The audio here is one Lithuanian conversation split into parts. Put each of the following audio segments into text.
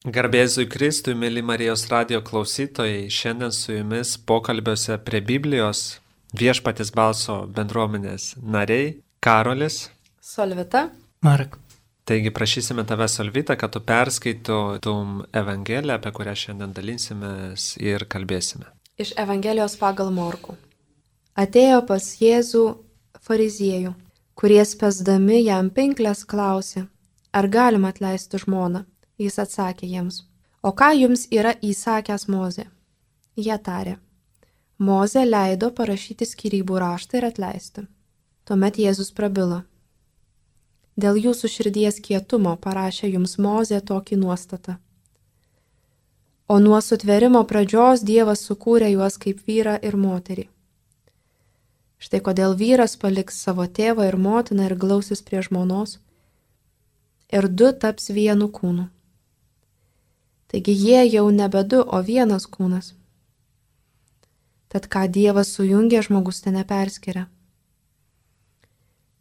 Garbėzui Kristui, mėly Marijos radio klausytojai, šiandien su jumis pokalbiuose prie Biblijos Viešpaties balso bendruomenės nariai Karolis, Solvita, Marek. Taigi prašysime tave, Solvita, kad tu perskaitytum Evangeliją, apie kurią šiandien dalinsimės ir kalbėsime. iš Evangelijos pagal Morkų. Atėjo pas Jėzų fariziejų, kurie spęsdami jam pinklės klausė, ar galima atleisti žmoną. Jis atsakė jiems, o ką jums yra įsakęs Mozė? Jie tarė, Mozė leido parašyti skyrybų raštą ir atleisti. Tuomet Jėzus prabilo. Dėl jūsų širdies kietumo parašė jums Mozė tokį nuostatą. O nuo sutvėrimo pradžios Dievas sukūrė juos kaip vyrą ir moterį. Štai kodėl vyras paliks savo tėvą ir motiną ir glausis prie žmonos, ir du taps vienu kūnu. Taigi jie jau nebe du, o vienas kūnas. Tad ką Dievas sujungė, žmogus te neperskiria.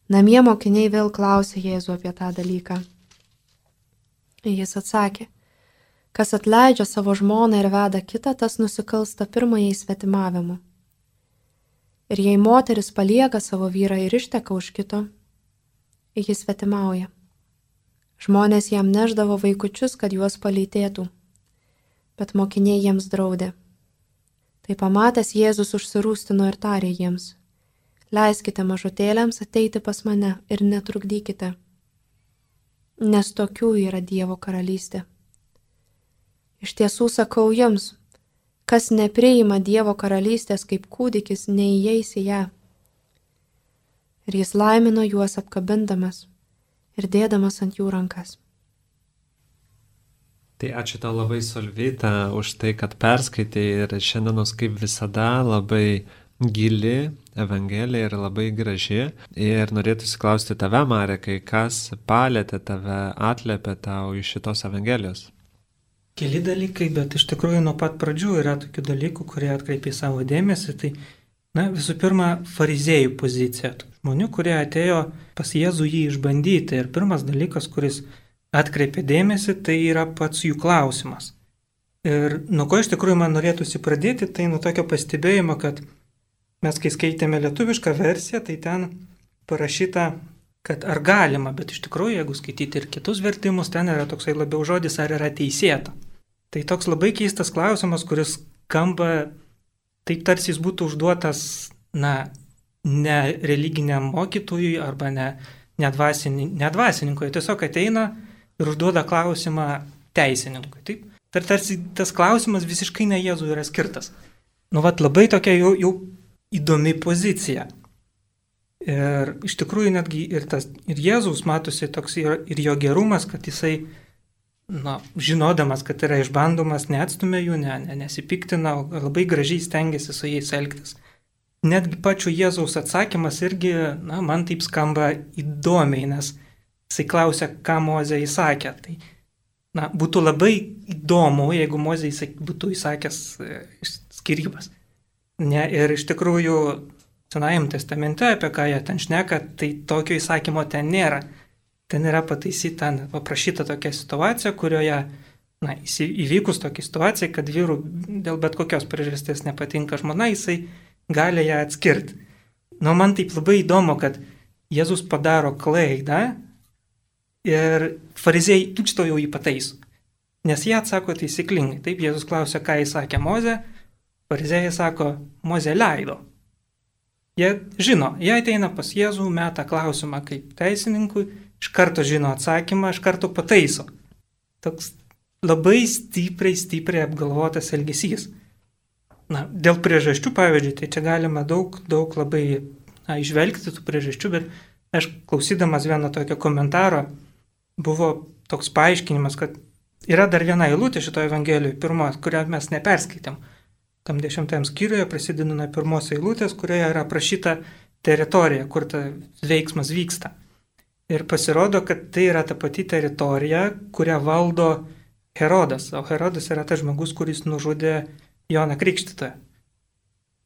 Namie mokiniai vėl klausė Jėzų apie tą dalyką. Jis atsakė, kas atleidžia savo žmoną ir veda kitą, tas nusikalsta pirmajai svetimavimu. Ir jei moteris palieka savo vyrą ir išteka už kito, jis svetimauja. Žmonės jam neždavo vaikučius, kad juos palytėtų, bet mokiniai jiems draudė. Tai pamatęs Jėzus užsirūstino ir tarė jiems, leiskite mažutėliams ateiti pas mane ir netrukdykite, nes tokių yra Dievo karalystė. Iš tiesų sakau jums, kas nepriima Dievo karalystės kaip kūdikis, neįeis į ją. Ir jis laimino juos apkabindamas ir dėdamas ant jų rankas. Tai ačiū tau labai, Solvita, už tai, kad perskaitai ir šiandienos kaip visada labai gili Evangelija ir labai graži. Ir norėtųsi klausti tave, Marekai, kas palėtė tave, atliepė tau iš šitos Evangelijos? Keli dalykai, bet iš tikrųjų nuo pat pradžių yra tokių dalykų, kurie atkreipė savo dėmesį. Tai, visų pirma, fariziejų pozicija. Žmonių, kurie atėjo pas Jėzų jį išbandyti. Ir pirmas dalykas, kuris atkreipė dėmesį, tai yra pats jų klausimas. Ir nuo ko iš tikrųjų man norėtųsi pradėti, tai nuo tokio pastebėjimo, kad mes, kai skaitėme lietuvišką versiją, tai ten parašyta, kad ar galima, bet iš tikrųjų, jeigu skaityti ir kitus vertimus, ten yra toksai labiau žodis, ar yra teisėta. Tai toks labai keistas klausimas, kuris skamba taip, tarsi jis būtų užduotas, ne religiniam mokytojui arba ne dvasininkui. Tiesiog ateina ir užduoda klausimą teisininkui. Taip? Tarsi tas klausimas visiškai ne Jėzui yra skirtas. Labai tokia jau įdomi pozicija. Ir iš tikrųjų netgi ir Jėzaus matosi toks ir jo gerumas, kad jisai, žinodamas, kad yra išbandomas, neatstumė jų, nesipiktina, labai gražiai stengiasi su jais elgtis. Netgi pačių Jėzaus atsakymas irgi, man taip skamba įdomiai, nes jisai klausia, ką Mozė įsakė. Tai, būtų labai įdomu, jeigu Mozė būtų įsakęs skyrybas. Ir iš tikrųjų, Senajame testamente, apie ką jie ten šneka, tai tokio įsakymo ten nėra. Ten yra paprašyta tokia situacija, kurioje, įvykus tokia situacija, kad vyrų dėl bet kokios priežasties nepatinka žmona, jisai gali ją atskirti. Man taip labai įdomu, kad Jėzus padaro klaidą ir fariziejai tučto jau jį pataiso. Nes jie atsako taisyklingai. Taip, Jėzus klausia, ką įsakė Mozė, fariziejai sako, Mozė leido. Jie žino, jie ateina pas Jėzų, meta klausimą kaip teisininkui, iš karto žino atsakymą, iš karto pataiso. Toks labai stipriai apgalvotas elgesys. Dėl priežasčių, pavyzdžiui, tai čia galima daug labai išvelgti tų priežasčių, bet aš klausydamas vieno tokio komentaro buvo toks paaiškinimas, kad yra dar viena eilutė šitoje Evangelijoje, pirma, kurią mes neperskaitėm. Tam 10 skyriuje prasideda nuo pirmos eilutės, kurioje yra aprašyta teritorija, kur ta veiksmas vyksta. Ir pasirodo, kad tai yra ta pati teritorija, kurią valdo Herodas. O Herodas yra tas žmogus, kuris nužudė Joną Krikštytoją.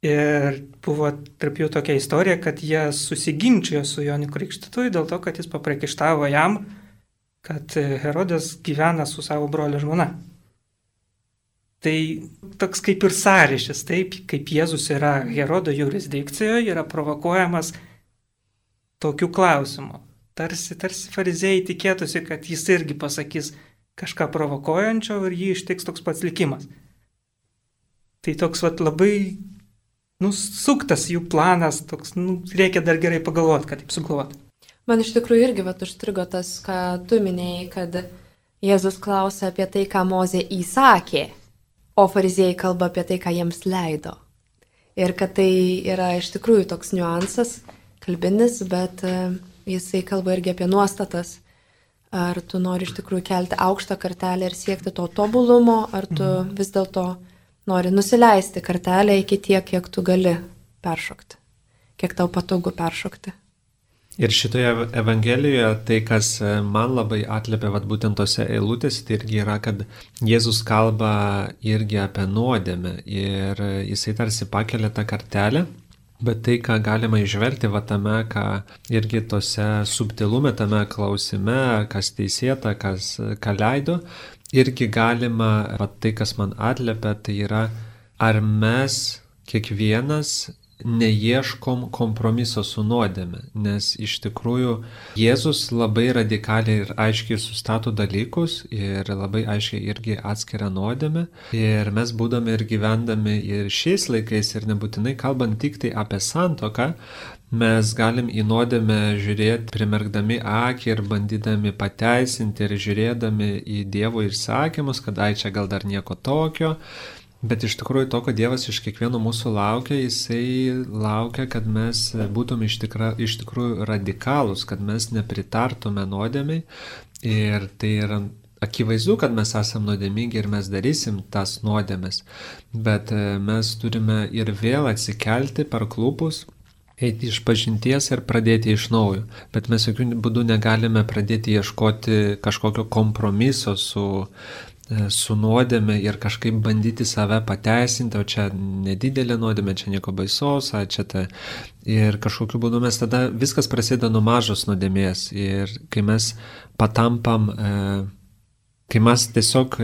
Ir buvo tarp jų tokia istorija, kad jie susiginčijo su Jonu Krikštytoju dėl to, kad jis papriekaištavo jam kad Herodas gyvena su savo brolio žmona. Tai toks kaip ir sąryšis, taip, kaip Jėzus yra Herodo jurisdikcijoje, yra provokuojamas tokiu klausimu. Tarsi fariziejai tikėtųsi, kad jis irgi pasakys kažką provokuojančio ir jį ištiks toks pats likimas. Tai toks labai suktas jų planas, toks, reikia dar gerai pagalvoti, kad taip sugalvoti. Man iš tikrųjų irgi užstrigo tas, ką tu minėjai, kad Jėzus klausia apie tai, ką Mozė įsakė, o fariziejai kalba apie tai, ką jiems leido. Ir kad tai yra iš tikrųjų toks niuansas, kalbinis, bet jisai kalba irgi apie nuostatas. Ar tu nori iš tikrųjų kelti aukštą kartelę ir siekti to tobulumo, ar tu vis dėlto nori nusileisti kartelę iki tiek, kiek tu gali peršokti, kiek tau patogu peršokti. Ir šitoje Evangelijoje tai, kas man labai atliepia būtent tose eilutėse, tai irgi yra, kad Jėzus kalba irgi apie nuodėmę ir jisai tarsi pakelia tą kartelę, bet tai, ką galima įžvelgti tame, ką irgi tose subtilume, tame klausime, kas teisėta, ką leido, irgi galima, tai, kas man atliepia, tai yra, ar mes kiekvienas neieškom kompromiso su nuodėme, nes iš tikrųjų Jėzus labai radikaliai ir aiškiai sustato dalykus ir labai aiškiai irgi atskiria nuodėmę ir mes būdami ir gyvendami ir šiais laikais ir nebūtinai kalbant tik tai apie santuoką, mes galim į nuodėmę žiūrėti primerkdami akį ir bandydami pateisinti ir žiūrėdami į Dievo įsakymus, kad čia gal dar nieko tokio. Bet iš tikrųjų to, ko Dievas iš kiekvieno mūsų laukia, jisai laukia, kad mes būtume iš tikrųjų radikalūs, kad mes nepritartume nuodėmiai ir tai yra akivaizdu, kad mes esame nuodėmingi ir mes darysim tas nuodėmes, bet mes turime ir vėl atsikelti per klupus, eiti iš pažinties ir pradėti iš naujo, bet mes jokių būdų negalime pradėti ieškoti kažkokio kompromiso su nuodėme ir kažkaip bandyti save pateisinti, o čia nedidelė nuodėmė, čia nieko baisaus, ir kažkokiu būdu mes tada viskas prasideda nuo mažos nuodėmės ir kai mes patampam, kai mes tiesiog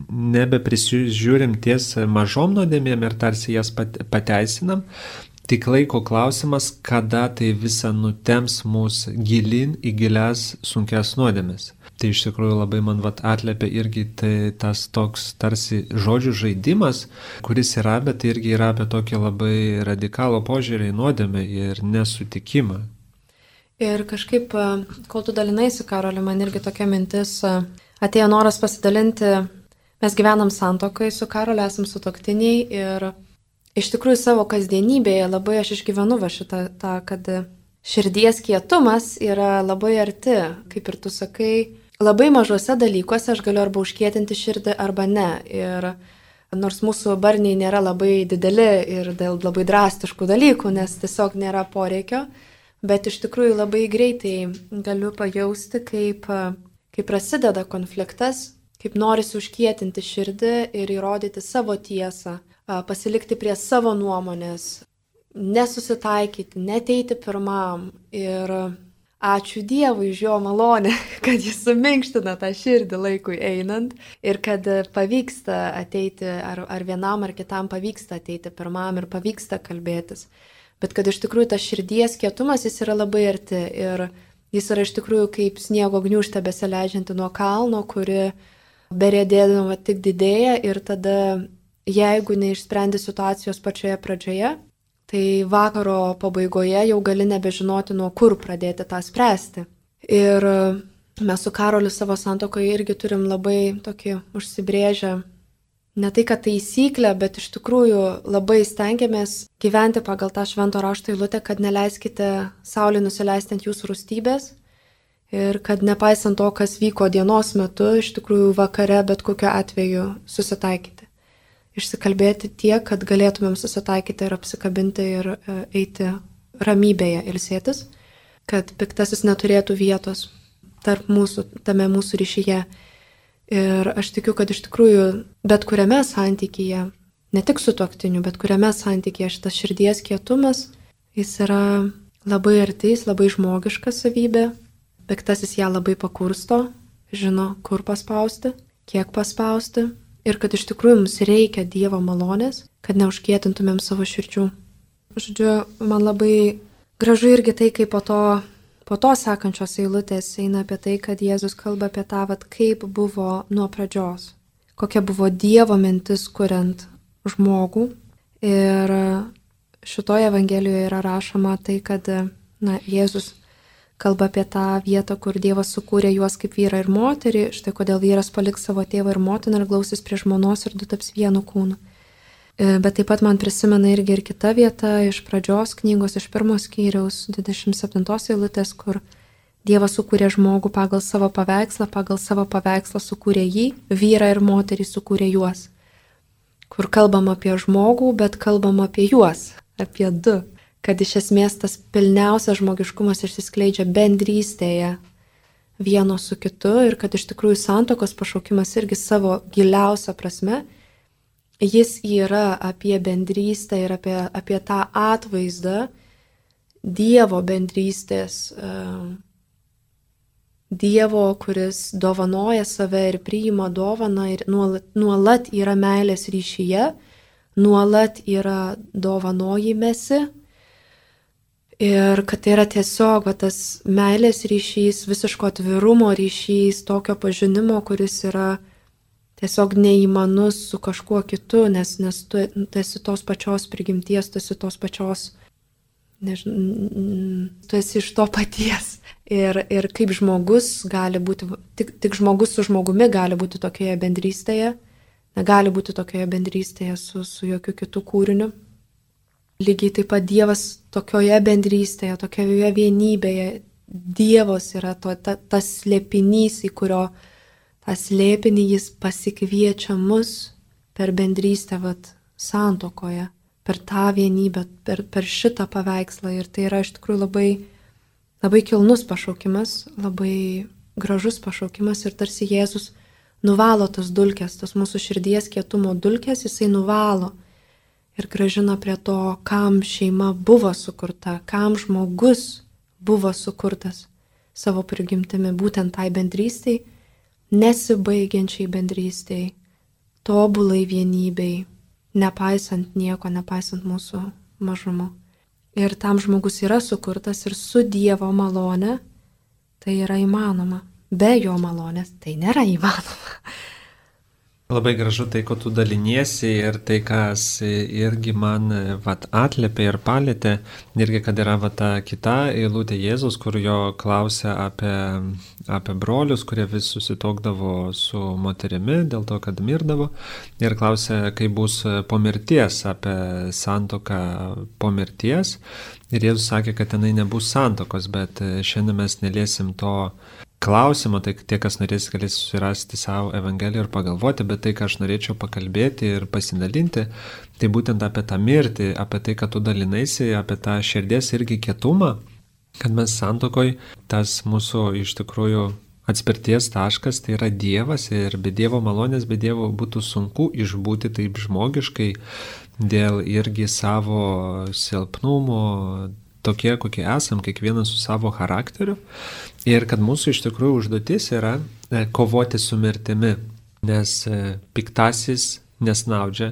nebeprisižiūrim ties mažom nuodėmėm ir tarsi jas pateisinam, tik laiko klausimas, kada tai visa nutems mus gilin į gilias sunkias nuodėmes. Tai iš tikrųjų labai man atliepia irgi tas toks tarsi žodžių žaidimas, kuris yra, bet tai irgi yra apie tokį labai radikalų požiūrį į nuodėmę ir nesutikimą. Ir kažkaip, kol tu dalinaisi, Karoli, man irgi tokia mintis, atėjo noras pasidalinti, mes gyvenam santuokai su Karoliu, esam sutuoktiniai ir iš tikrųjų savo kasdienybėje labai aš išgyvenu šitą, kad širdies kietumas yra labai arti, kaip ir tu sakai, labai mažuose dalykuose aš galiu arba užkietinti širdį arba ne. Ir nors mūsų barniai nėra labai dideli ir dėl labai drastiškų dalykų, nes tiesiog nėra poreikio, bet iš tikrųjų labai greitai galiu pajausti, kaip prasideda konfliktas, kaip norisi užkietinti širdį ir įrodyti savo tiesą, pasilikti prie savo nuomonės, nesusitaikyti, neteiti pirmam ir ačiū Dievui už jo malonę, kad jis suminkština tą širdį laikui einant ir kad pavyksta ateiti, ar vienam ar kitam pavyksta ateiti pirmam ir pavyksta kalbėtis. Bet kad iš tikrųjų tas širdies kietumas jis yra labai arti ir jis yra iš tikrųjų kaip sniego gniūžtė besileidžianti nuo kalno, kuri beriedėdama tik didėja ir tada, jeigu neišsprendi situacijos pačioje pradžioje, tai vakaro pabaigoje jau gali nebežinoti, nuo kur pradėti tą spręsti. Ir mes su Karoliu savo santuokoje irgi turim labai tokį užsibrėžę, ne tai kad taisyklę, bet iš tikrųjų labai stengiamės gyventi pagal tą švento rašto eilutę, kad neleiskite saulei nusileisti ant jūsų rūstybės ir kad nepaisant to, kas vyko dienos metu, iš tikrųjų vakare bet kokiu atveju susitaikyti. Išsikalbėti tiek, kad galėtumėm susitaikyti ir apsikabinti ir eiti ramybėje ilsėtis, kad piktasis neturėtų vietos tarp mūsų, tame mūsų ryšyje. Ir aš tikiu, kad iš tikrųjų bet kuriame santykyje, ne tik su tuoktiniu, bet kuriame santykyje šitas širdies kietumas, jis yra labai arti, jis labai žmogiška savybė, piktasis ją labai pakursto, žino, kur paspausti, kiek paspausti ir kad iš tikrųjų mums reikia Dievo malonės, kad neužkietintumėm savo širdžių. Žodžiu, man labai gražu irgi tai, kaip po to sekančios eilutės eina apie tai, kad Jėzus kalba apie tą, kaip buvo nuo pradžios, kokia buvo Dievo mintis kuriant žmogų. Ir šitoje Evangelijoje yra rašoma tai, kad Jėzus kalba apie tą vietą, kur Dievas sukūrė juos kaip vyrą ir moterį, štai kodėl vyras paliks savo tėvą ir motiną ir glausis prie žmonos ir du taps vienu kūnu. Bet taip pat man prisimena irgi ir kita vieta iš pradžios knygos, iš 1 skyriaus 27 eilutės, kur Dievas sukūrė žmogų pagal savo paveikslą sukūrė jį, vyrą ir moterį sukūrė juos. Kur kalbam apie žmogų, bet kalbam apie juos, apie du. Kad iš esmės tas pilniausias žmogiškumas išsiskleidžia bendrystėje vieno su kitu ir kad iš tikrųjų santuokos pašaukimas irgi savo giliausia prasme, jis yra apie bendrystę ir apie tą atvaizdą Dievo bendrystės, Dievo, kuris dovanoja save ir priima dovaną ir nuolat yra meilės ryšyje, nuolat yra dovanojimesi. Ir kad tai yra tiesiog tas meilės ryšys, visiško atvirumo ryšys, tokio pažinimo, kuris yra tiesiog neįmanus su kažkuo kitu, nes tu esi tos pačios prigimties, tu esi tos pačios, tu esi iš to paties. Ir kaip žmogus gali būti, tik žmogus su žmogumi gali būti tokioje bendrystėje, negali būti tokioje bendrystėje su jokiu kitu kūriniu. Lygiai taip pat Dievas tokioje bendrystėje, tokioje vienybėje, Dievas yra tas slėpinys, į kurio tą slėpinį jis pasikviečia mus per bendrystę santuokoje, per tą vienybę, per šitą paveikslą. Ir tai yra iš tikrųjų labai, labai kilnus pašaukimas, labai gražus pašaukimas ir tarsi Jėzus nuvalo tas dulkes, tas mūsų širdies kietumo dulkes, jisai nuvalo. Ir grąžina prie to, kam šeima buvo sukurta, kam žmogus buvo sukurtas savo prigimtimi, būtent tai bendrystei, nesibaigiančiai bendrystei, tobulai vienybei, nepaisant nieko, nepaisant mūsų mažumo. Ir tam žmogus yra sukurtas ir su Dievo malone tai yra įmanoma. Be jo malonės tai nėra įmanoma. Labai gražu tai, ko tu daliniesi ir tai, kas irgi man atliepė ir palėtė, irgi kad yra ta kita eilutė Jėzus, kur jo klausia apie brolius, kurie vis susitokdavo su moterimi dėl to, kad mirdavo, ir klausia, kaip bus po mirties, apie santuoką po mirties. Ir Jėzus sakė, kad tenai nebus santuokos, bet šiandien mes neliesim to klausimo, tai tie, kas norės, galės susirasti savo Evangeliją ir pagalvoti, bet tai, ką aš norėčiau pakalbėti ir pasidalinti, tai būtent apie tą mirtį, apie tai, kad tu dalinaisi, apie tą širdies irgi kietumą, kad mes santuokoj, tas mūsų iš tikrųjų atspirties taškas, tai yra Dievas ir be Dievo malonės, be Dievo būtų sunku išbūti taip žmogiškai dėl irgi savo silpnumo, tokie, kokie esam, kiekvienas su savo charakteriu. Ir kad mūsų iš tikrųjų užduotis yra kovoti su mirtimi, nes piktasis nesnaudžia,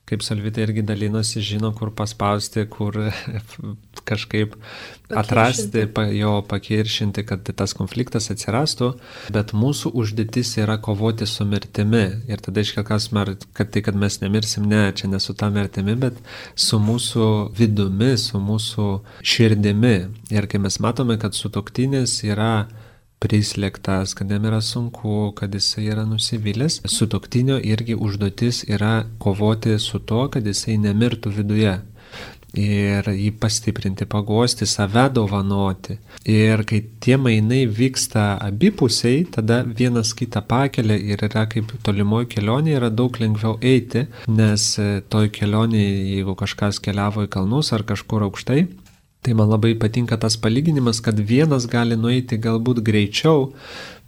kaip Solvita irgi dalinosi, žino, kur paspausti, kur kažkaip atrasti, jo pakiršinti, kad tas konfliktas atsirastų, bet mūsų užduotis yra kovoti su mirtimi. Ir tada iškelkas, kad tai, kad mes nemirsim, ne, čia ne su ta mirtimi, bet su mūsų vidumi, su mūsų širdimi. Ir kai mes matome, kad sutuoktinis yra prislėgtas, kad jam yra sunku, kad jisai yra nusivylęs, sutuoktinio irgi užduotis yra kovoti su to, kad jisai nemirtų viduje. Ir jį pastiprinti, paguosti, save dovanoti. Ir kai tie mainai vyksta abipusiai, tada vienas kitą pakelia ir yra kaip tolimoji kelionė, yra daug lengviau eiti, nes toj kelionėje, jeigu kažkas keliavo į kalnus ar kažkur aukštai, tai man labai patinka tas palyginimas, kad vienas gali nueiti galbūt greičiau,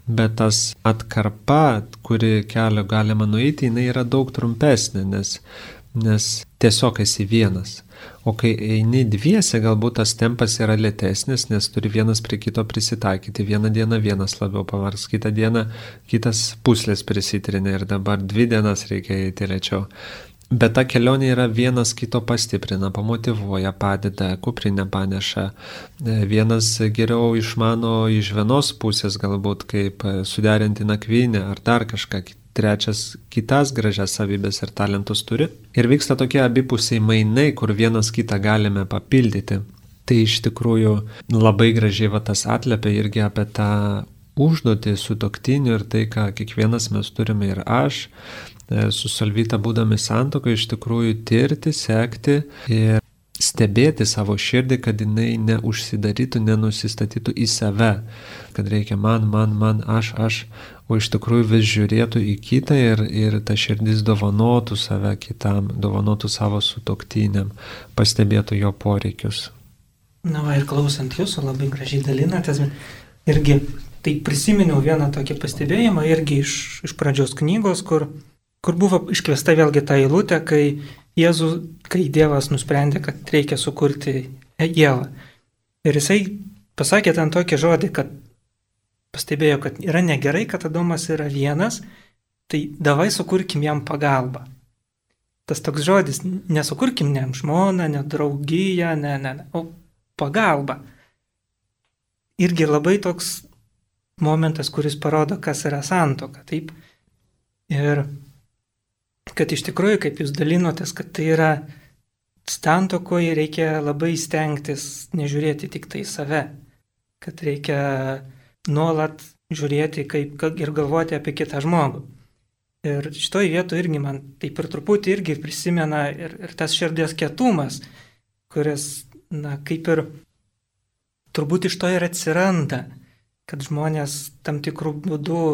bet tas atkarpa, kuri kelio galima nueiti, jinai yra daug trumpesnė, nes tiesiog esi vienas. O kai eini dviese, galbūt tas tempas yra lėtesnis, nes turi vienas prie kito prisitaikyti. Vieną dieną vienas labiau pavargs, kitą dieną kitas puslės prisitrinė ir dabar 2 dienas reikia eiti lėčiau. Bet ta kelionė yra vienas kito pastiprina, pamotivuoja, padeda, kuprinę paneša. Vienas geriau išmano iš vienos pusės galbūt, kaip suderinti nakvynę ar dar kažką. Trečias kitas gražias savybės ir talentus turi. Ir vyksta tokie abipusiai mainai, kur vienas kitą galime papildyti. Tai iš tikrųjų labai gražiai tas atliepia irgi apie tą užduotį sutuoktinių ir tai, ką kiekvienas mes turime ir aš. Su Solvita būdami santuokoje iš tikrųjų tirti, sekti ir stebėti savo širdį, kad jinai neužsidarytų, nenusistatytų į save, kad reikia man, aš, o iš tikrųjų vis žiūrėtų į kitą ir ta širdis dovanotų save kitam, dovanotų savo sutuoktiniam, pastebėtų jo poreikius. Na va, ir klausant jūsų, labai gražiai dalinatės, irgi tai prisiminiau vieną tokį pastebėjimą, irgi iš pradžios knygos, kur buvo iškviesta vėlgi ta eilutė, kai Dievas nusprendė, kad reikia sukurti Ievą. Ir jisai pasakė ten tokį žodį, kad pastebėjo, kad yra negerai, kad Adomas yra vienas, tai davai sukurkim jam pagalbą. Tas toks žodis, nesukurkim ne žmoną, ne draugiją, o pagalbą. Irgi labai toks momentas, kuris parodo, kas yra santuoka. Taip? Ir kad iš tikrųjų, kaip jūs dalinotės, kad tai yra santuokoje reikia labai stengtis nežiūrėti tik tai save, kad reikia nuolat žiūrėti ir galvoti apie kitą žmogų. Ir šitoj vietoje irgi man taip ir truputį irgi prisimena ir tas širdies kietumas, kuris, kaip ir turbūt iš to ir atsiranda, kad žmonės tam tikrų būdų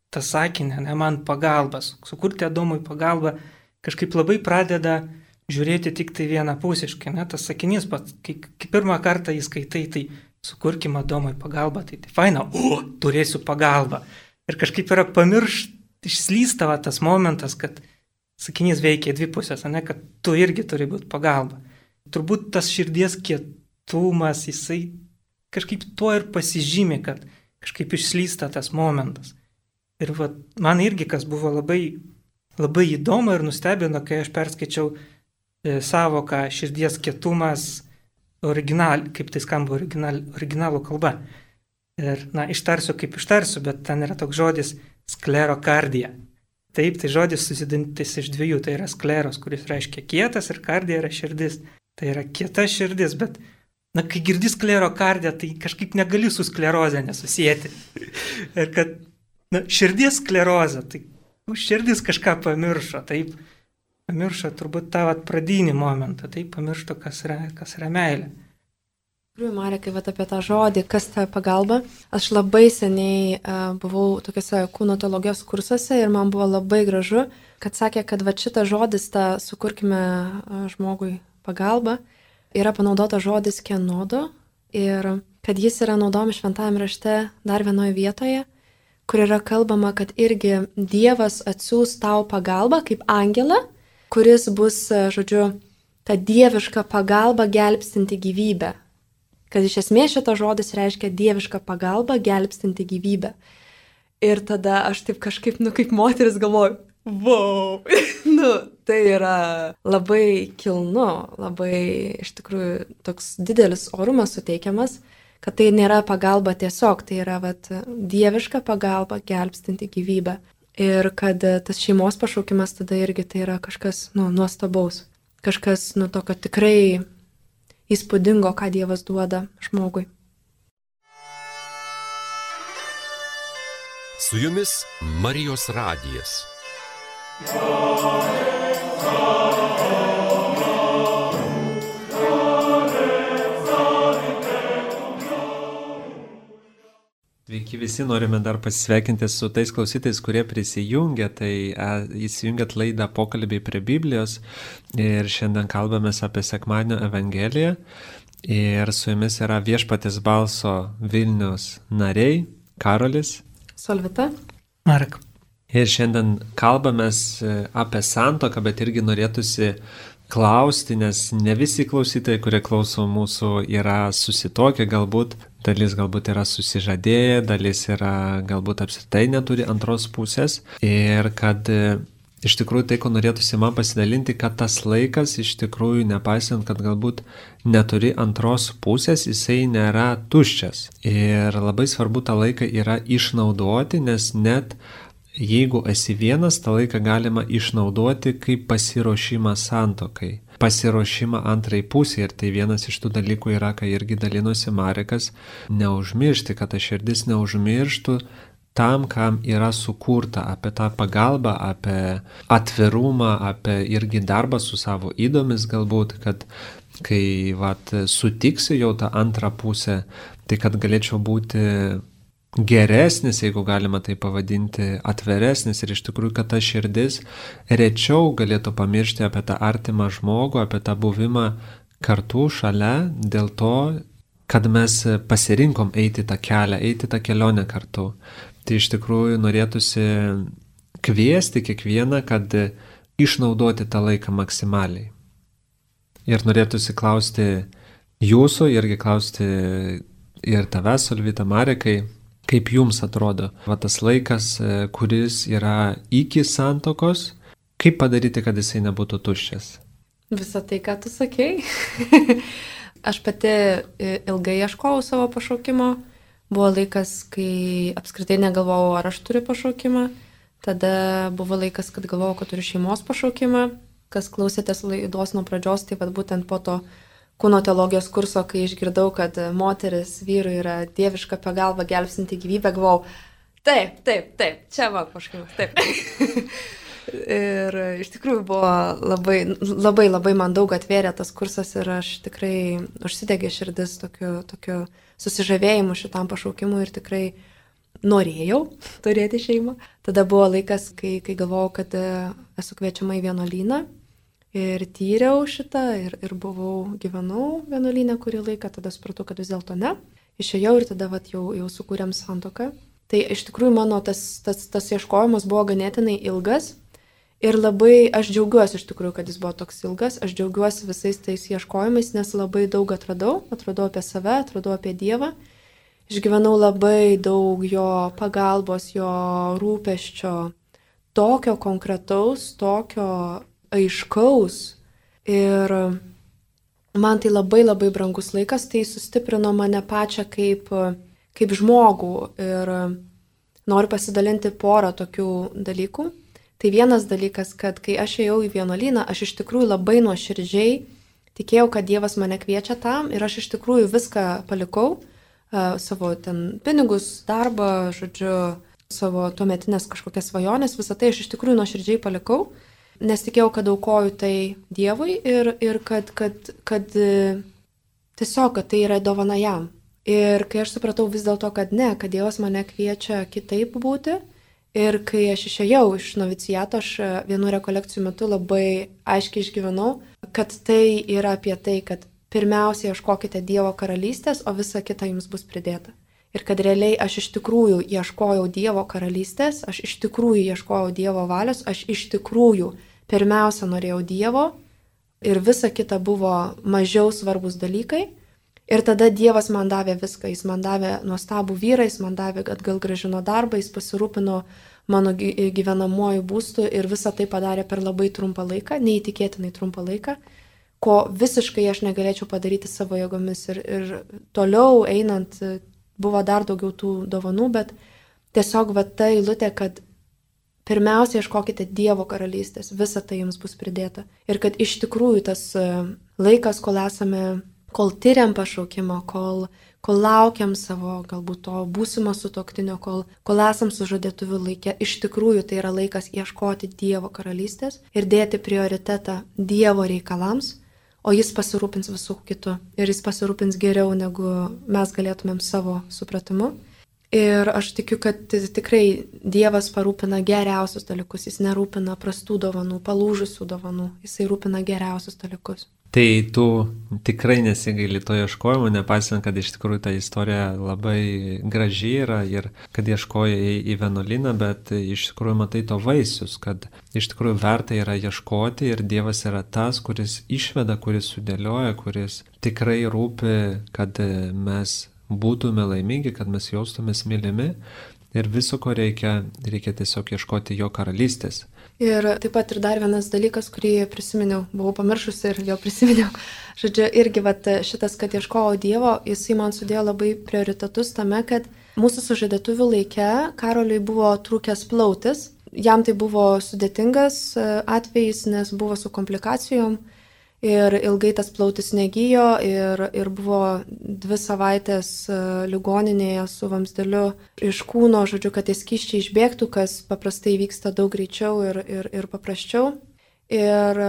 tą sakinį, man pagalbas, sukurti Adomui pagalbą, kažkaip labai pradeda žiūrėti tik tai vienapusiškai. Tas sakinys, kai pirmą kartą jį skaitai, tai sukurkim Adomui pagalbą, tai faina, turėsiu pagalbą. Ir kažkaip yra išslystava tas momentas, kad sakinys veikia 2 pusės, kad tu irgi turi būti pagalba. Turbūt tas širdies kietumas, jisai kažkaip tuo ir pasižymi, kad kažkaip išslysta tas momentas. Ir man irgi kas buvo labai, labai įdomu ir nustebino, kai aš perskaičiau savoką širdies kietumas kaip tai skamba originalų kalba. Ir, ištarsiu kaip ištarsiu, bet ten yra toks žodis sklerokardija. Taip, tai žodis susidantis iš 2, tai yra skleros, kuris reiškia kietas ir kardija yra širdis. Tai yra kieta širdis, bet kai girdi sklerokardiją, tai kažkaip negali su skleroze nesusijęti. Ir kad širdies sklerozė, tai širdis kažką pamiršo, taip, pamiršo turbūt tą pradinį momentą, taip, pamiršo, kas yra meilė. Marija, kai apie tą žodį, kas ta pagalba, aš labai seniai buvau tokiuose kūno teologijos kursuose ir man buvo labai gražu, kad sakė, kad šitas žodis, sukurkime žmogui pagalbą, yra panaudota žodis kenodo ir kad jis yra naudojami šventajame rašte dar vienoje vietoje, kur yra kalbama, kad irgi Dievas atsiųs tau pagalbą kaip angelą, kuris bus, ta dieviška pagalba gelbstinti gyvybę. Kad iš esmės šitas žodis reiškia dieviška pagalba gelbstinti gyvybę. Ir tada aš taip kažkaip, kaip moteris galvoju, wow, tai yra labai kilnu, labai iš tikrųjų toks didelis orumas suteikiamas, kad tai nėra pagalba tiesiog, tai yra dieviška pagalba gelbstinti gyvybę. Ir kad tas šeimos pašaukimas tada irgi tai yra kažkas nuostabaus, kažkas tokio tikrai įspūdingo, ką Dievas duoda žmogui. Su jumis Marijos radijas. Sveiki visi, norime dar pasisveikinti su tais klausytais, kurie prisijungia, tai įsijungiat laidą Pokalbiai prie Biblijos ir šiandien kalbamės apie Sekmadienio Evangeliją ir su jumis yra Viešpaties balso Vilnius nariai Karolis, Solvita, Marek. Ir šiandien kalbamės apie santuoką, bet irgi norėtųsi klausti, nes ne visi klausytojai, kurie klauso mūsų, yra susitokę, dalis galbūt yra susižadėję, dalis yra galbūt apskritai neturi antros pusės. Ir kad iš tikrųjų tai, ko norėtųsi man pasidalinti, kad tas laikas iš tikrųjų, nepaisant, kad galbūt neturi antros pusės, jisai nėra tuščias. Ir labai svarbu tą laiką yra išnaudoti, nes net jeigu esi vienas, tą laiką galima išnaudoti kaip pasiruošimą santuokai, pasiruošimą antrai pusė. Ir tai vienas iš tų dalykų yra, kai irgi dalinosi Marekas, neužmiršti, kad ta širdis neužmirštų tam, kam yra sukurta, apie tą pagalbą, apie atvirumą, apie irgi darbą su savo įdomis galbūt, kad kai sutiksiu jau tą antrą pusę, tai kad galėčiau būti geresnis, jeigu galima tai pavadinti, atviresnis ir iš tikrųjų, kad ta širdis rečiau galėtų pamiršti apie tą artimą žmogų, apie tą buvimą kartu šalia, dėl to, kad mes pasirinkom eiti tą kelią, eiti tą kelionę kartu. Tai iš tikrųjų norėtųsi kviesti kiekvieną, kad išnaudoti tą laiką maksimaliai. Ir norėtųsi klausti jūsų, irgi klausti ir tavęs, Solvita, Marekai, kaip jums atrodo tas laikas, kuris yra iki santuokos, kaip padaryti, kad jisai nebūtų tuščias? Visą tai, ką tu sakei. Aš pati ilgai ieškojau savo pašaukimo. Buvo laikas, kai apskritai negalvojau, ar aš turiu pašaukimą. Tada buvo laikas, kad galvojau, kad turiu šeimos pašaukimą. Kas klausėtės laidos nuo pradžios, tai būtent po to kūno teologijos kurso, kai išgirdau, kad moteris vyrui yra dieviška pagalba gelbstinti gyvybę, galvojau, taip, čia va pašaukimas, taip. Ir iš tikrųjų buvo labai man daug atvėrė tas kursas ir aš tikrai užsidegė širdis tokiu susižavėjimu šitam pašaukimui ir tikrai norėjau turėti šeimą. Tada buvo laikas, kai galvojau, kad esu kviečiama į vienuolyną. Ir tyriau šitą ir gyvenau vienuolyne kurį laiką, tada supratau, kad vis dėlto ne. Išėjau ir tada jau sukūrėm santuoką. Tai iš tikrųjų mano tas ieškojimas buvo ganėtinai ilgas ir labai aš džiaugiuosi iš tikrųjų, kad jis buvo toks ilgas. Aš džiaugiuosi visais tais ieškojimais, nes labai daug atradau apie save, atradau apie Dievą. Išgyvenau labai daug jo pagalbos, jo rūpesčio, tokio konkretaus, tokio aiškaus ir man tai labai brangus laikas, tai sustiprino mane pačią kaip žmogų ir noriu pasidalinti porą tokių dalykų. Tai vienas dalykas, kad kai aš ėjau į vienuolyną, aš iš tikrųjų labai nuoširdžiai tikėjau, kad Dievas mane kviečia tam ir aš iš tikrųjų viską palikau, savo ten pinigus, darbą, savo tuometinės kažkokias svajonės, visą tai aš iš tikrųjų nuoširdžiai palikau. Nes tikėjau, kad aukoju tai Dievui ir kad tiesiog, kad tai yra dovana jam. Ir kai aš supratau vis dėlto, kad ne, kad Dievas mane kviečia kitaip būti ir kai aš išėjau iš noviciato, aš vienų rekolekcijų metu labai aiškiai išgyvenau, kad tai yra apie tai, kad pirmiausia ieškokite Dievo karalystės, o visa kita jums bus pridėta. Ir kad realiai aš iš tikrųjų ieškojau Dievo karalystės, aš iš tikrųjų ieškojau Dievo valios, aš iš tikrųjų pirmiausia norėjau Dievo ir visa kita buvo mažiau svarbus dalykai. Ir tada Dievas man davė viską, jis man davė nuostabų vyrą, jis man davė atgal grąžino darbą, jis pasirūpino mano gyvenamuoju būstu ir visą tai padarė per labai trumpą laiką, neįtikėtinai trumpą laiką, ko visiškai aš negalėčiau padaryti savo jėgomis ir toliau einant buvo dar daugiau tų dovanų, bet tiesiog ta eilutė, kad pirmiausia ieškokite Dievo karalystės, visa tai jums bus pridėta. Ir kad iš tikrųjų tas laikas, kol tyriam pašaukimą, kol laukiam savo galbūt to būsimo sutuoktinio, kol esam sužadėtuvių laike, iš tikrųjų tai yra laikas ieškoti Dievo karalystės ir dėti prioritetą Dievo reikalams, o jis pasirūpins visų kitų. Ir jis pasirūpins geriau, negu mes galėtumėm savo supratimu. Ir aš tikiu, kad tikrai Dievas parūpina geriausius dalykus, jis nerūpina prastų dovanų, palūžusių dovanų, jisai rūpina geriausius dalykus. Tai tu tikrai nesigaili to ieškojimo, nepaisant, kad iš tikrųjų ta istorija labai graži yra ir kad ieškoja į vienuolyną, bet iš tikrųjų matai to vaisius, kad iš tikrųjų verta yra ieškoti ir Dievas yra tas, kuris išveda, kuris sudėlioja, kuris tikrai rūpi, kad mes būtume laimingi, kad mes jaustumės mylimi ir viso, ko reikia tiesiog ieškoti jo karalystės. Ir taip pat ir dar vienas dalykas, kurį prisiminiau, buvau pamiršusi ir vėl prisiminiau. Žodžiu, irgi šitas, kad ieškojau Dievo, jisai man sudėjo labai prioritetus tame, kad mūsų sužadėtuvių laike Karoliui buvo trūkęs plautis. Jam tai buvo sudėtingas atvejis, nes buvo su komplikacijom ir ilgai tas plautis negyjo ir buvo 2 savaitės ligoninėje su vamzdeliu iš kūno, žodžiu, kad tie skysčiai išbėgtų, kas paprastai vyksta daug greičiau ir paprasčiau. Ir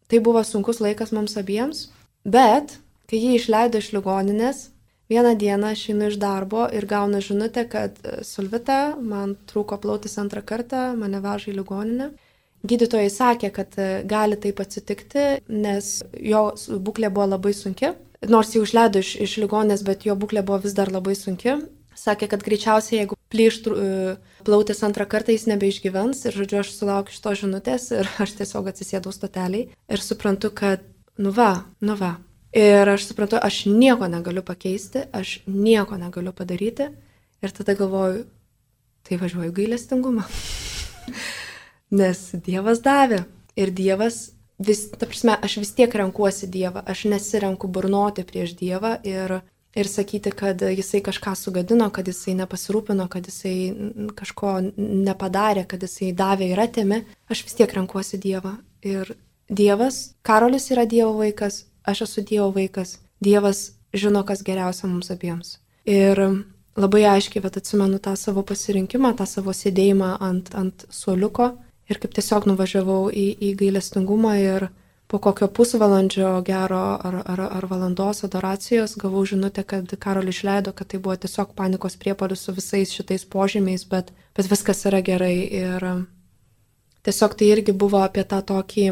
tai buvo sunkus laikas mums abiems, bet kai jį išleido iš ligoninės, vieną dieną aš einu iš darbo ir gaunu žinutę, kad Solvita, man trūko plautis 2 kartą, mane veža į ligoninę. Gydytojai sakė, kad gali taip atsitikti, nes jo būklė buvo labai sunki. Nors jau išleido iš ligoninės, bet jo būklė buvo vis dar labai sunki. Sakė, kad greičiausiai, jeigu plyš plautis 2 kartą, jis nebeišgyvens. Ir žodžiu, aš sulaukiu šitos žinutės ir aš tiesiog atsisėdau stoteliai ir suprantu, kad nu va. Ir aš suprantu, aš nieko negaliu pakeisti, aš nieko negaliu padaryti. Ir tada galvoju, tai važiuoju gailestingumą. Nes Dievas davė ir Dievas, ta prasme, aš vis tiek renkuosi Dievą, aš nesirenku burnoti prieš Dievą ir sakyti, kad jisai kažką sugadino, kad jisai nepasirūpino, kad jisai kažko nepadarė, kad jisai davė ir atėmė, aš vis tiek renkuosi Dievą. Ir Dievas, Karolis yra Dievo vaikas, aš esu Dievo vaikas, Dievas žino, kas geriausia mums abiems. Ir labai aiškiai, bet atsimenu tą savo pasirinkimą, tą savo sėdėjimą ant suoliuko. Ir kaip tiesiog nuvažiavau į gailestingumą ir po kokio pusvalandžio gero ar valandos adoracijos gavau žinutę, kad Karolį išleido, kad tai buvo tiesiog panikos priepuolis su visais šitais požymiais, bet viskas yra gerai. Ir tiesiog tai irgi buvo apie tą tokį,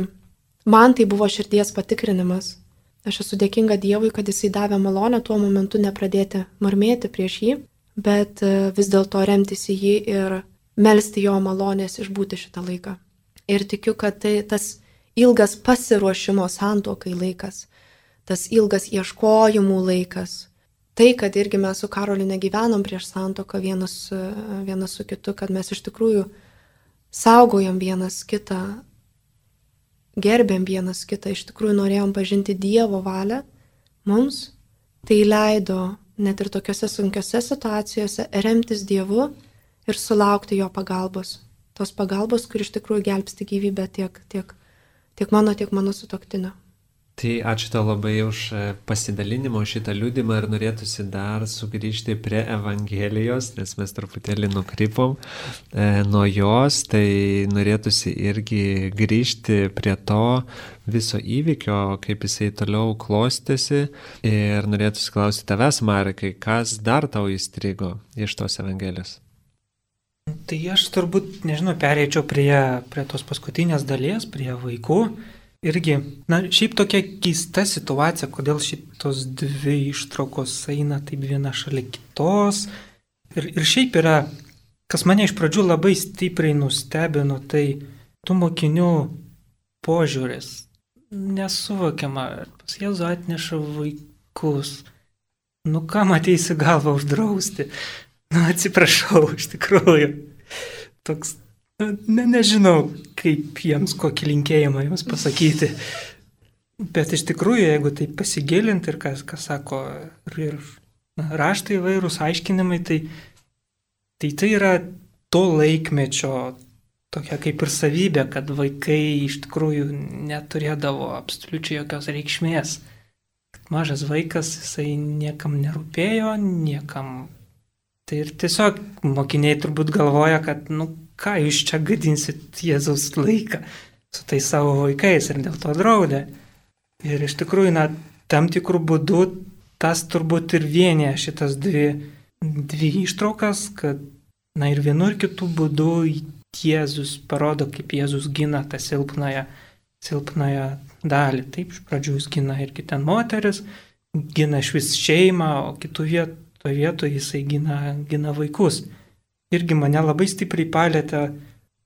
man tai buvo širdies patikrinimas. Aš esu dėkinga Dievui, kad jisai davė malonę tuo momentu nepradėti murmėti prieš jį, bet vis dėlto remtis į jį ir melsti jo malonės išbūti šitą laiką. Ir tikiu, kad tai tas ilgas pasiruošimo santuokai laikas, tas ilgas ieškojimų laikas, tai, kad irgi mes su Karoliu negyvenom prieš santuoką vienas su kitu, kad mes iš tikrųjų saugojom vienas kitą, gerbėm vienas kitą, iš tikrųjų norėjom pažinti Dievo valią, mums tai leido net ir tokiose sunkiose situacijose remtis Dievu ir sulaukti jo pagalbos. Tos pagalbos, kur iš tikrųjų gelbsti gyvybę tiek mano sutuoktinio. Tai ačiū tau labai už pasidalinimą, už šitą liudymą ir norėtųsi dar sugrįžti prie Evangelijos, nes mes truputėlį nukrypom nuo jos, tai norėtųsi irgi grįžti prie to viso įvykio, kaip jisai toliau klostėsi ir norėtųsi klausyti tavęs, Marekai, kas dar tau įstrigo iš tos Evangelijos? Tai aš turbūt, pereičiau prie tos paskutinės dalies, prie vaikų. Irgi, šiaip tokia keista situacija, kodėl šitos 2 ištraukos eina taip viena šalia kitos. Ir šiaip yra, kas mane iš pradžių labai stipriai nustebino, tai tų mokinių požiūris. Nesuvokiama, pas Jėzų atneša vaikus. Kam ateisi galvą uždrausti? Atsiprašau, iš tikrųjų. Toks, nežinau, kaip jiems kokį linkėjimą jiems pasakyti. Bet iš tikrųjų, jeigu tai pasigilinti ir kas sako, ir raštai įvairūs aiškinimai, tai yra to laikmečio tokia kaip ir savybė, kad vaikai iš tikrųjų neturėdavo absoliučiai jokios reikšmės. Mažas vaikas, jisai niekam nerūpėjo, niekam. Tai ir tiesiog mokiniai turbūt galvoja, kad, ką jūs čia gadinsit Jėzaus laiką su tais savo vaikais ir dėl to draudė. Ir iš tikrųjų, tam tikrų būdų tas turbūt ir vienė šitas dvi ištraukas, kad, ir vienu ir kitų būdų Jėzus parodo, kaip Jėzus gina tą silpnąją silpnąją dalį. Taip, iš pradžių jis gina irgi ten moteris, gina iš vis šeimą, o kitų vietoje jisai gina vaikus. Irgi mane labai stipriai palėtė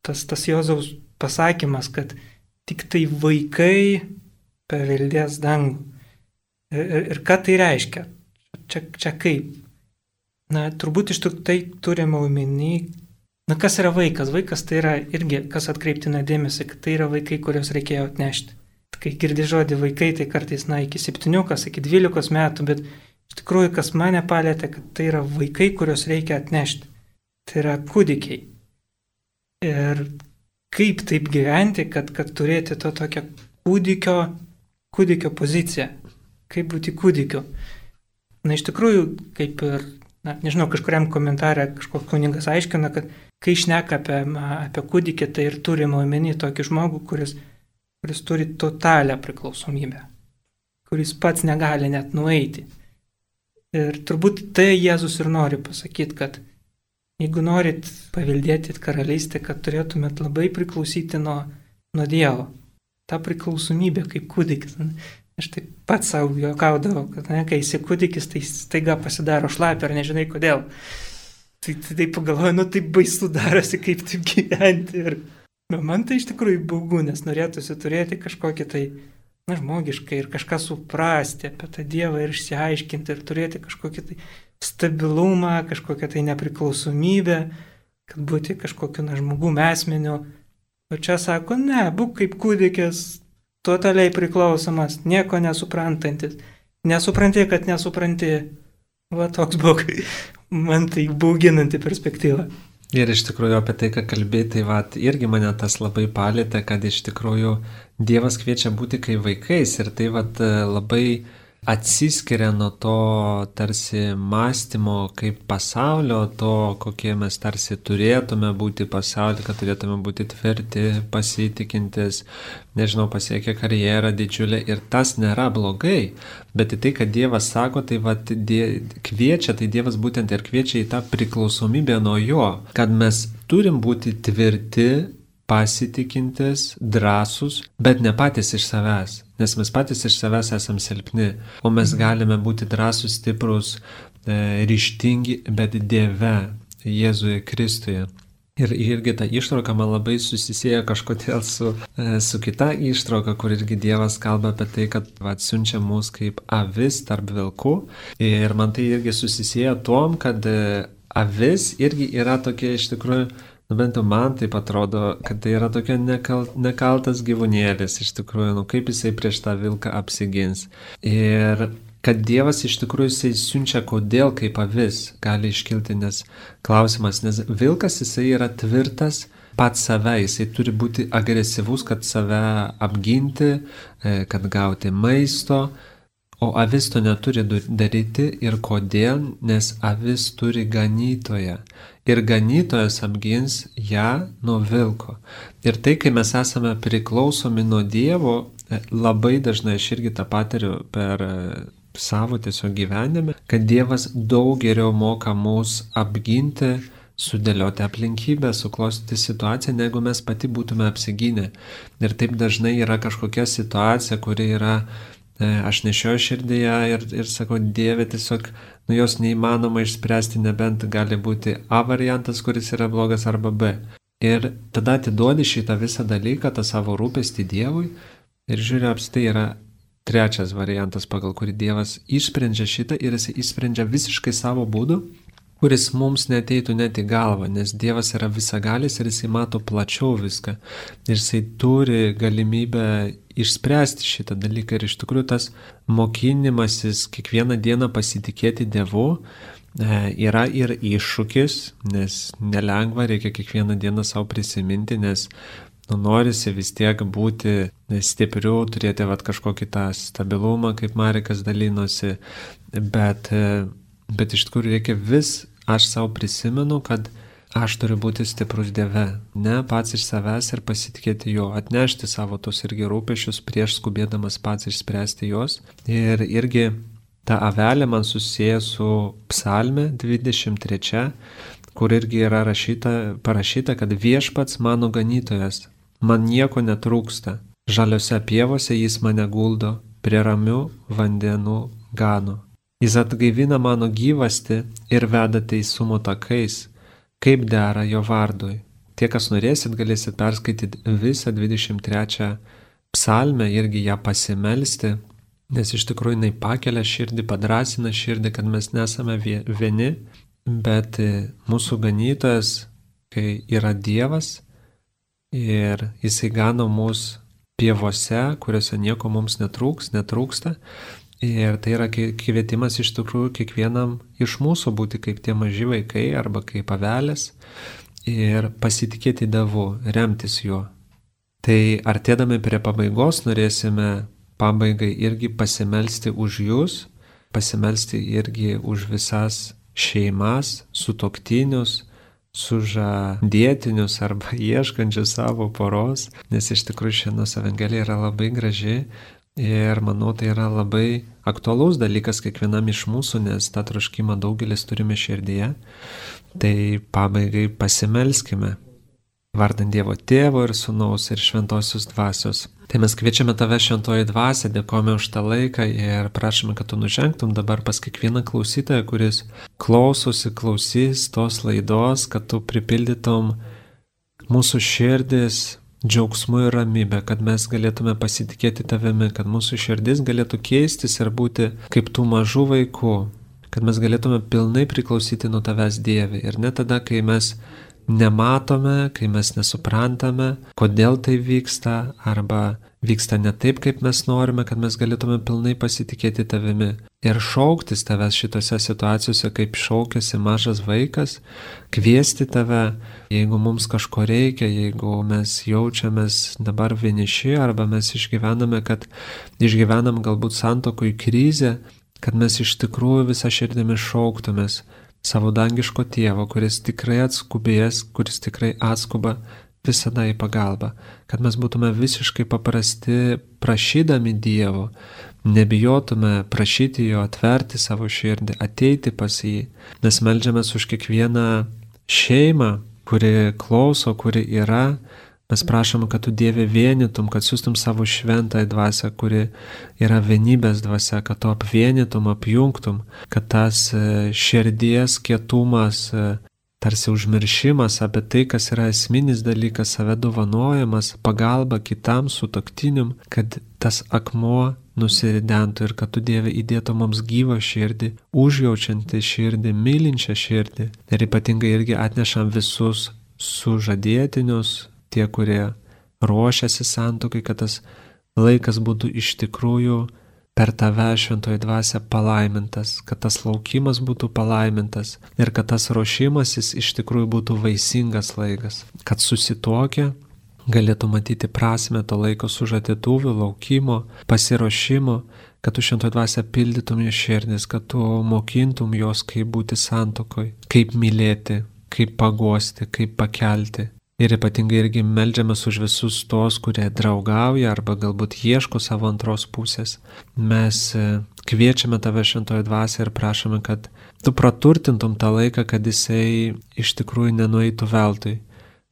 tas Jėzaus pasakymas, kad tik tai vaikai paveldės dangų. Ir ką tai reiškia? Čia kaip? Na, turbūt iš tai turime omeny. Na, kas yra vaikas? Vaikas tai yra irgi, kas atkreiptina dėmesį, kad tai yra vaikai, kuriuos reikėjo atnešti. Kai girdi žodį vaikai, tai kartais, iki 7, iki 12 metų, bet iš tikrųjų, kas mane palėtė, kad tai yra vaikai, kuriuos reikia atnešti. Tai yra kūdikiai. Ir kaip taip gyventi, kad turėti to tokią kūdikio poziciją. Kaip būti kūdikiu. Na, iš tikrųjų, kaip ir, nežinau, kažkuriam komentarė kažkoks kunigas aiškina, kad kai šneka apie kūdikį, tai ir turime omeny tokį žmogų, kuris turi totalią priklausomybę, kuris pats negali net nueiti. Ir turbūt tai Jėzus ir nori pasakyti, kad jeigu norit paveldėti karalystę, kad turėtumėt labai priklausyti nuo Dievo. Ta priklausomybė kaip kūdikis. Aš taip pat savo juokaudavau, kad kai esi kūdikis, tai staiga pasidaro šlapia ir nežinai kodėl. Tai taip pagalvoju, taip baisu darosi, kaip taip gyventi. Ir man tai iš tikrųjų baugu, nes norėtųsi turėti kažkokį tai žmogiškai ir kažką suprasti apie tą Dievą ir išsiaiškinti ir turėti kažkokį tai stabilumą, kažkokią tai nepriklausomybę, kad būti kažkokiu žmogum esmeniu. O čia sako, ne, būk kaip kūdikis, totaliai priklausomas, nieko nesuprantantis. Nesupranti, kad nesupranti. Va toks buvo, man tai bauginanti perspektyva. Ir iš tikrųjų apie tai, ką kalbėti, irgi mane tas labai palėtė, kad iš tikrųjų Dievas kviečia būti kaip vaikais ir tai labai atsiskiria nuo to tarsi mąstymo kaip pasaulio, to kokie mes tarsi turėtume būti pasaulyje, kad turėtume būti tvirti, pasitikintis, pasiekę karjerą didžiulę ir tas nėra blogai, bet į tai, kad Dievas sako, tai kviečia, tai Dievas būtent ir kviečia į tą priklausomybę nuo jo, kad mes turim būti tvirti, pasitikintis, drąsus, bet ne patys iš savęs, nes mes patys iš savęs esam silpni, o mes galime būti drąsus, stiprus, ryžtingi, bet Dieve, Jėzuje Kristuje. Ir irgi ta ištrauka man labai susisieja kažkodėl su kita ištrauka, kur irgi Dievas kalba apie tai, kad siunčia mus kaip avis tarp vilkų. Ir man tai irgi susisieja tom, kad avis irgi yra tokia iš tikrųjų, bent jau man taip atrodo, kad tai yra tokia nekaltas gyvūnėlis, iš tikrųjų, kaip jisai prieš tą vilką apsigins. Ir kad Dievas iš tikrųjų jisai siunčia kodėl kaip avis, gali iškilti klausimas, nes vilkas jisai yra tvirtas pats save, jisai turi būti agresyvus, kad save apginti, kad gauti maisto, o avis to neturi daryti ir kodėl, nes avis turi ganytoją. Ir ganytojas apgins ją nuo vilko. Ir tai, kai mes esame priklausomi nuo Dievo, labai dažnai aš irgi tą patiriu per savo tiesiog gyvenime, kad Dievas daug geriau moka mus apginti, sudėlioti aplinkybę, suklostyti situaciją, negu mes pati būtume apsigynę. Ir taip dažnai yra kažkokia situacija, kuri yra aš nešioju širdyje ir sakau, Dieve, tiesiog jos neįmanoma išspręsti, nebent gali būti A variantas, kuris yra blogas, arba B. Ir tada atiduodi šitą visą dalyką, tą savo rūpestį Dievui ir žiūrėjau, tai yra trečias variantas, pagal kurį Dievas išsprendžia šitą ir jis išsprendžia visiškai savo būdu, kuris mums neteitų net į galvą, nes Dievas yra visagalis ir jisai mato plačiau viską. Ir jisai turi galimybę išspręsti šitą dalyką ir iš tikrųjų tas mokinimasis kiekvieną dieną pasitikėti Dievu yra ir iššūkis, nes nelengva, reikia kiekvieną dieną savo prisiminti, nes norisi vis tiek būti stipriu, turėti kažkokį tą stabilumą, kaip Marekas dalinosi, bet iš tikrųjų reikia aš savo prisimenu, kad aš turiu būti stiprus Dieve, ne pats iš savęs ir pasitikėti Jo, atnešti savo tos irgi rūpesčius prieš skubėdamas pats išspręsti juos. Ir irgi ta avelė man susieja su Psalme 23, kur irgi yra parašyta, kad viešpats mano ganytojas, man nieko netrūksta. Žaliose pievose jis mane guldo, prie ramių vandenų gano. Jis atgaivina mano gyvastį ir veda teisumo takais, kaip dera jo vardui. Tie, kas norėsit, galėsit perskaityti visą 23 psalmę, irgi ją pasimelsti, nes iš tikrųjų jinai pakelia širdį, padrasina širdį, kad mes nesame vieni, bet mūsų ganytojas, kai yra Dievas ir jisai gano mus pievose, kuriuose nieko mums netrūksta. Ir tai yra kvietimas iš tikrųjų kiekvienam iš mūsų būti kaip tie maži vaikai arba kaip avelės ir pasitikėti Dievu, remtis juo. Tai artėdami prie pabaigos norėsime pabaigai irgi pasimelsti už jūs, pasimelsti irgi už visas šeimas, sutuoktinius, sužadėtinius arba ieškančius savo poros, nes iš tikrųjų šiandienos Evangelija yra labai graži ir manau tai yra labai aktualus dalykas kiekvienam iš mūsų, nes tą troškimą daugelis turime širdyje. Tai pabaigai pasimelskime. Vardant Dievo Tėvo ir Sūnaus ir Šventosios Dvasios. Tai mes kviečiame tave, Šventoji Dvasia, dėkojame už tą laiką ir prašome, kad tu nužengtum dabar pas kiekvieną klausytoją, kuris klausys tos laidos, kad tu pripildytum mūsų širdis džiaugsmu ir ramybę, kad mes galėtume pasitikėti tavimi, kad mūsų širdis galėtų keistis ir būti kaip tų mažų vaikų, kad mes galėtume pilnai priklausyti nuo tavęs, Dieve. Ir ne tada, kai mes nematome, kai mes nesuprantame, kodėl tai vyksta, arba vyksta ne taip, kaip mes norime, kad mes galėtume pilnai pasitikėti tavimi ir šauktis tavęs šitose situacijose, kaip šaukiasi mažas vaikas, kviesti tave, jeigu mums kažko reikia, jeigu mes jaučiamės dabar vieniši, arba mes išgyvenam galbūt santuokoj krizę, kad mes iš tikrųjų visą širdimi šauktumės savo dangiško tėvo, kuris tikrai atskubės, kuris tikrai atskuba visada į pagalbą, kad mes būtume visiškai paprasti prašydami Dievo, nebijotume prašyti jo, atverti savo širdį, ateiti pas jį, nes meldžiamės už kiekvieną šeimą, kuri klauso, kuri yra. Mes prašom, kad tu, Dieve, vienytum, kad siūstum savo šventąją dvasią, kuri yra vienybės dvasia, kad tu apvienytum, apjungtum, kad tas širdies kietumas, tarsi užmiršimas apie tai, kas yra esminis dalykas, save dovanojimas, pagalba kitam sutuoktiniam, kad tas akmuo nusiridentų ir kad tu, Dieve, įdėtum mums gyvą širdį, užjaučiantį širdį, mylinčią širdį. Ir ypatingai irgi atnešam visus sužadėtinius, tie, kurie ruošiasi santuokai, kad tas laikas būtų iš tikrųjų per tave, Šventoji Dvasia, palaimintas, kad tas laukimas būtų palaimintas ir kad tas ruošimasis iš tikrųjų būtų vaisingas laikas, kad susituokę galėtų matyti prasmę to laiko sužadėtuvių, laukimo, pasiruošimo, kad tu, Šventoji Dvasia, pildytum jų širdis, kad tu mokintum jos, kaip būti santuokoj, kaip mylėti, kaip paguosti, kaip pakelti. Ir ypatingai irgi meldžiamės už visus tos, kurie draugauja arba galbūt ieško savo antros pusės. Mes kviečiame tave, Šventoji Dvasia, ir prašome, kad tu praturtintum tą laiką, kad jisai iš tikrųjų nenueitų veltui.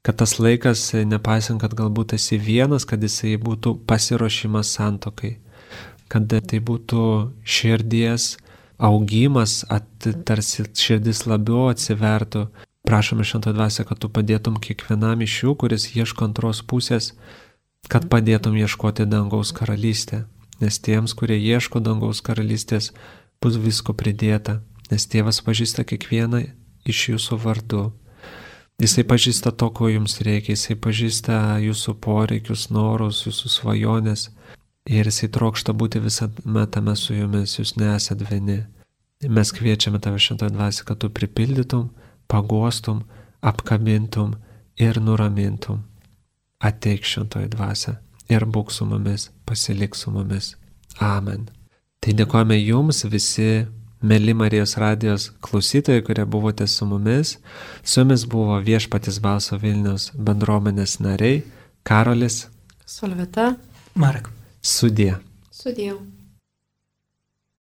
Kad tas laikas, nepaisant, kad galbūt esi vienas, kad jisai būtų pasiruošimas santuokai. Kad tai būtų širdies augimas, tarsi širdis labiau atsivertų. Prašome, Šventoji Dvasia, kad tu padėtum kiekvienam iš jų, kuris ieško antros pusės, kad padėtum ieškoti dangaus karalystę. Nes tiems, kurie ieško dangaus karalystės, bus visko pridėta, nes Tėvas pažįsta kiekvieną iš jūsų vardu. Jisai pažįsta to, ko jums reikia, jisai pažįsta jūsų poreikius, norus, jūsų svajonės ir jisai trokšta būti visame tame su jumis, jūs nesat vieni. Mes kviečiame tave, Šventoji Dvasia, kad tu pripildytum, paguostum, apkabintum ir nuramintum. Ateik, Šventoji Dvasia, ir būk su mumis, pasilik su mumis. Amen. Tai dėkojame jums visi, mėly Marijos radijos klausytojai, kurie buvote su mumis. Su jumis buvo Viešpaties balso Vilniaus bendruomenės nariai Karolis, Solvita, Marek. Sudie. Sudie.